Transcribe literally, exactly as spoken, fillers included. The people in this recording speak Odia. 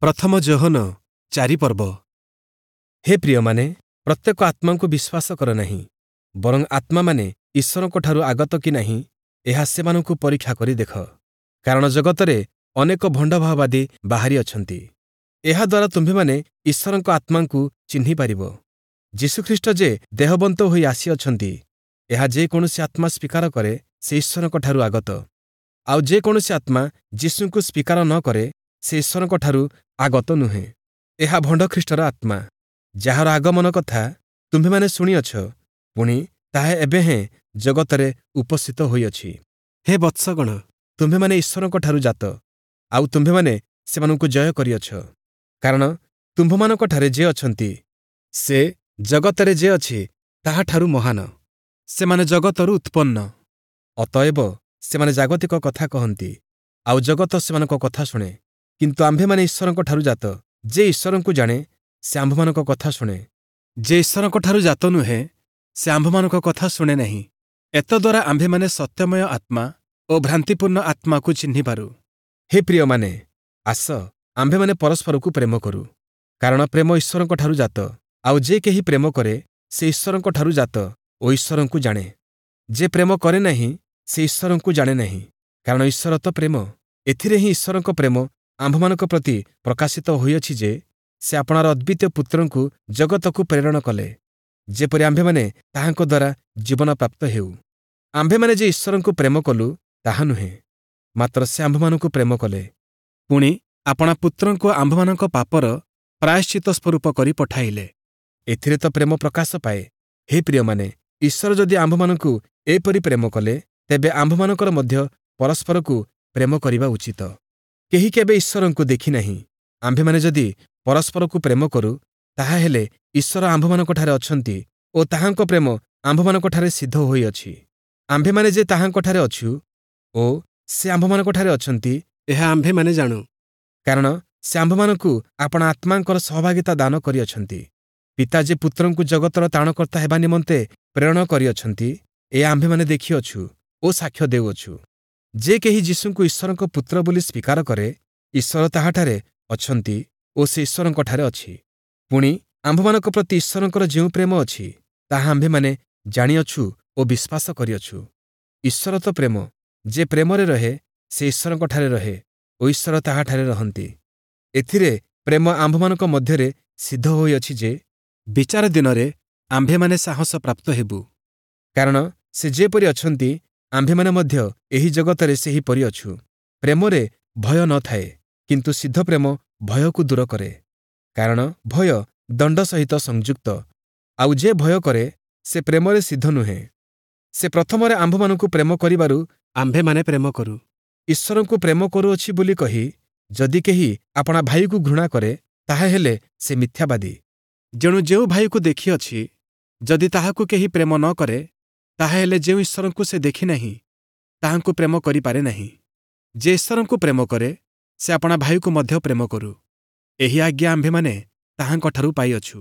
ପ୍ରଥମ ଯୋହନ ଚାରି ପର୍ବ ହେ ପ୍ରିୟମାନେ ପ୍ରତ୍ୟେକ ଆତ୍ମାଙ୍କୁ ବିଶ୍ୱାସ କର ନାହିଁ ବରଂ ଆତ୍ମାମାନେ ଈଶ୍ୱରଙ୍କଠାରୁ ଆଗତ କି ନାହିଁ ଏହା ସେମାନଙ୍କୁ ପରୀକ୍ଷା କରି ଦେଖ କାରଣ ଜଗତରେ ଅନେକ ଭଣ୍ଡଭାବବାଦୀ ବାହାରି ଅଛନ୍ତି ଏହାଦ୍ୱାରା ତୁମ୍ଭେମାନେ ଈଶ୍ୱରଙ୍କ ଆତ୍ମାଙ୍କୁ ଚିହ୍ନିପାରିବ ଯୀଶୁଖ୍ରୀଷ୍ଟ ଯେ ଦେହବନ୍ତ ହୋଇ ଆସିଅଛନ୍ତି ଏହା ଯେକୌଣସି ଆତ୍ମା ସ୍ୱୀକାର କରେ ସେ ଈଶ୍ୱରଙ୍କଠାରୁ ଆଗତ ଆଉ ଯେକୌଣସି ଆତ୍ମା ଯୀଶୁଙ୍କୁ ସ୍ୱୀକାର ନ କରେ ସେ ଈଶ୍ୱରଙ୍କଠାରୁ ଆଗତ ନୁହେଁ ଏହା ଭଣ୍ଡଖ୍ରୀଷ୍ଟର ଆତ୍ମା ଯାହାର ଆଗମନ କଥା ତୁମ୍ଭେମାନେ ଶୁଣିଅଛ ପୁଣି ତାହା ଏବେ ହେଁ ଜଗତରେ ଉପସ୍ଥିତ ହୋଇଅଛି ହେ ବତ୍ସଗଣ ତୁମ୍ଭେମାନେ ଈଶ୍ୱରଙ୍କଠାରୁ ଜାତ ଆଉ ତୁମ୍ଭେମାନେ ସେମାନଙ୍କୁ ଜୟ କରିଅଛ କାରଣ ତୁମ୍ଭମାନଙ୍କଠାରେ ଯେ ଅଛନ୍ତି ସେ ଜଗତରେ ଯେ ଅଛି ତାହାଠାରୁ ମହାନ ସେମାନେ ଜଗତରୁ ଉତ୍ପନ୍ନ ଅତଏବ ସେମାନେ ଜାଗତିକ କଥା କହନ୍ତି ଆଉ ଜଗତ ସେମାନଙ୍କ କଥା ଶୁଣେ କିନ୍ତୁ ଆମ୍ଭେମାନେ ଈଶ୍ୱରଙ୍କଠାରୁ ଜାତ ଯେ ଈଶ୍ୱରଙ୍କୁ ଜାଣେ ସେ ଆମ୍ଭମାନଙ୍କ କଥା ଶୁଣେ ଯେ ଈଶ୍ୱରଙ୍କଠାରୁ ଜାତ ନୁହେଁ ସେ ଆମ୍ଭମାନଙ୍କ କଥା ଶୁଣେ ନାହିଁ ଏତଦ୍ୱାରା ଆମ୍ଭେମାନେ ସତ୍ୟମୟ ଆତ୍ମା ଓ ଭ୍ରାନ୍ତିପୂର୍ଣ୍ଣ ଆତ୍ମାକୁ ଚିହ୍ନିପାରୁ ହେ ପ୍ରିୟମାନେ ଆସ ଆମ୍ଭେମାନେ ପରସ୍ପରକୁ ପ୍ରେମ କରୁ କାରଣ ପ୍ରେମ ଈଶ୍ୱରଙ୍କଠାରୁ ଜାତ ଆଉ ଯେ କେହି ପ୍ରେମ କରେ ସେ ଈଶ୍ୱରଙ୍କଠାରୁ ଜାତ ଓ ଈଶ୍ୱରଙ୍କୁ ଜାଣେ ଯେ ପ୍ରେମ କରେ ନାହିଁ ସେ ଈଶ୍ୱରଙ୍କୁ ଜାଣେ ନାହିଁ କାରଣ ଈଶ୍ୱର ତ ପ୍ରେମ ଏଥିରେ ହିଁ ଈଶ୍ୱରଙ୍କ ପ୍ରେମ ଆମ୍ଭମାନଙ୍କ ପ୍ରତି ପ୍ରକାଶିତ ହୋଇଅଛି ଯେ ସେ ଆପଣାର ଅଦ୍ୱିତୀୟ ପୁତ୍ରଙ୍କୁ ଜଗତକୁ ପ୍ରେରଣ କଲେ ଯେପରି ଆମ୍ଭେମାନେ ତାହାଙ୍କ ଦ୍ୱାରା ଜୀବନ ପ୍ରାପ୍ତ ହେଉ ଆମ୍ଭେମାନେ ଯେ ଈଶ୍ୱରଙ୍କୁ ପ୍ରେମ କଲୁ ତାହା ନୁହେଁ ମାତ୍ର ସେ ଆମ୍ଭମାନଙ୍କୁ ପ୍ରେମ କଲେ ପୁଣି ଆପଣା ପୁତ୍ରଙ୍କୁ ଆମ୍ଭମାନଙ୍କ ପାପର ପ୍ରାୟଶ୍ଚିତ ସ୍ୱରୂପ କରି ପଠାଇଲେ ଏଥିରେ ତ ପ୍ରେମ ପ୍ରକାଶ ପାଏ ହେ ପ୍ରିୟମାନେ ଈଶ୍ୱର ଯଦି ଆମ୍ଭମାନଙ୍କୁ ଏପରି ପ୍ରେମ କଲେ ତେବେ ଆମ୍ଭମାନଙ୍କର ମଧ୍ୟ ପରସ୍ପରକୁ ପ୍ରେମ କରିବା ଉଚିତ କେହି କେବେ ଈଶ୍ୱରଙ୍କୁ ଦେଖିନାହିଁ ଆମ୍ଭେମାନେ ଯଦି ପରସ୍ପରକୁ ପ୍ରେମ କରୁ ତାହାହେଲେ ଈଶ୍ୱର ଆମ୍ଭମାନଙ୍କଠାରେ ଅଛନ୍ତି ଓ ତାହାଙ୍କ ପ୍ରେମ ଆମ୍ଭମାନଙ୍କଠାରେ ସିଦ୍ଧ ହୋଇଅଛି ଆମ୍ଭେମାନେ ଯେ ତାହାଙ୍କଠାରେ ଅଛୁ ଓ ସେ ଆମ୍ଭମାନଙ୍କଠାରେ ଅଛନ୍ତି ଏହା ଆମ୍ଭେମାନେ ଜାଣୁ କାରଣ ସେ ଆମ୍ଭମାନଙ୍କୁ ଆପଣା ଆତ୍ମାଙ୍କର ସହଭାଗିତା ଦାନ କରିଅଛନ୍ତି ପିତା ଯେ ପୁତ୍ରଙ୍କୁ ଜଗତର ତ୍ରାଣକର୍ତ୍ତା ହେବା ନିମନ୍ତେ ପ୍ରେରଣ କରିଅଛନ୍ତି ଏହା ଆମ୍ଭେମାନେ ଦେଖିଅଛୁ ଓ ସାକ୍ଷ୍ୟ ଦେଉଅଛୁ ଯେ କେହି ଯୀଶୁଙ୍କୁ ଈଶ୍ୱରଙ୍କ ପୁତ୍ର ବୋଲି ସ୍ୱୀକାର କରେ ଈଶ୍ୱର ତାହାଠାରେ ଅଛନ୍ତି ଓ ସେ ଈଶ୍ୱରଙ୍କଠାରେ ଅଛି ପୁଣି ଆମ୍ଭମାନଙ୍କ ପ୍ରତି ଈଶ୍ୱରଙ୍କର ଯେଉଁ ପ୍ରେମ ଅଛି ତାହା ଆମ୍ଭେମାନେ ଜାଣିଅଛୁ ଓ ବିଶ୍ୱାସ କରିଅଛୁ ଈଶ୍ୱର ତ ପ୍ରେମ ଯେ ପ୍ରେମରେ ରହେ ସେ ଈଶ୍ୱରଙ୍କଠାରେ ରହେ ଓ ଈଶ୍ୱର ତାହାଠାରେ ରହନ୍ତି ଏଥିରେ ପ୍ରେମ ଆମ୍ଭମାନଙ୍କ ମଧ୍ୟରେ ସିଦ୍ଧ ହୋଇଅଛି ଯେ ବିଚାର ଦିନରେ ଆମ୍ଭେମାନେ ସାହସ ପ୍ରାପ୍ତ ହେବୁ କାରଣ ସେ ଯେପରି ଅଛନ୍ତି ଆମ୍ଭେମାନେ ମଧ୍ୟ ଏହି ଜଗତରେ ସେହିପରି ଅଛୁ ପ୍ରେମରେ ଭୟ ନ ଥାଏ କିନ୍ତୁ ସିଦ୍ଧ ପ୍ରେମ ଭୟକୁ ଦୂର କରେ କାରଣ ଭୟ ଦଣ୍ଡ ସହିତ ସଂଯୁକ୍ତ ଆଉ ଯେ ଭୟ କରେ ସେ ପ୍ରେମରେ ସିଦ୍ଧ ନୁହେଁ ସେ ପ୍ରଥମରେ ଆମ୍ଭମାନଙ୍କୁ ପ୍ରେମ କରିବାରୁ ଆମ୍ଭେମାନେ ପ୍ରେମ କରୁ ଈଶ୍ୱରଙ୍କୁ ପ୍ରେମ କରୁଅଛି ବୋଲି କହି ଯଦି କେହି ଆପଣା ଭାଇକୁ ଘୃଣା କରେ ତାହାହେଲେ ସେ ମିଥ୍ୟାବାଦୀ ଯେଣୁ ଯେଉଁ ଭାଇକୁ ଦେଖିଅଛି ଯଦି ତାହାକୁ କେହି ପ୍ରେମ ନ କରେ ତାହାହେଲେ ଯେଉଁ ଈଶ୍ୱରଙ୍କୁ ସେ ଦେଖିନାହିଁ ତାହାଙ୍କୁ ପ୍ରେମ କରିପାରେ ନାହିଁ ଯେ ଈଶ୍ୱରଙ୍କୁ ପ୍ରେମ କରେ ସେ ଆପଣା ଭାଇକୁ ମଧ୍ୟ ପ୍ରେମ କରୁ ଏହି ଆଜ୍ଞା ଆମ୍ଭେମାନେ ତାହାଙ୍କଠାରୁ ପାଇଅଛୁ।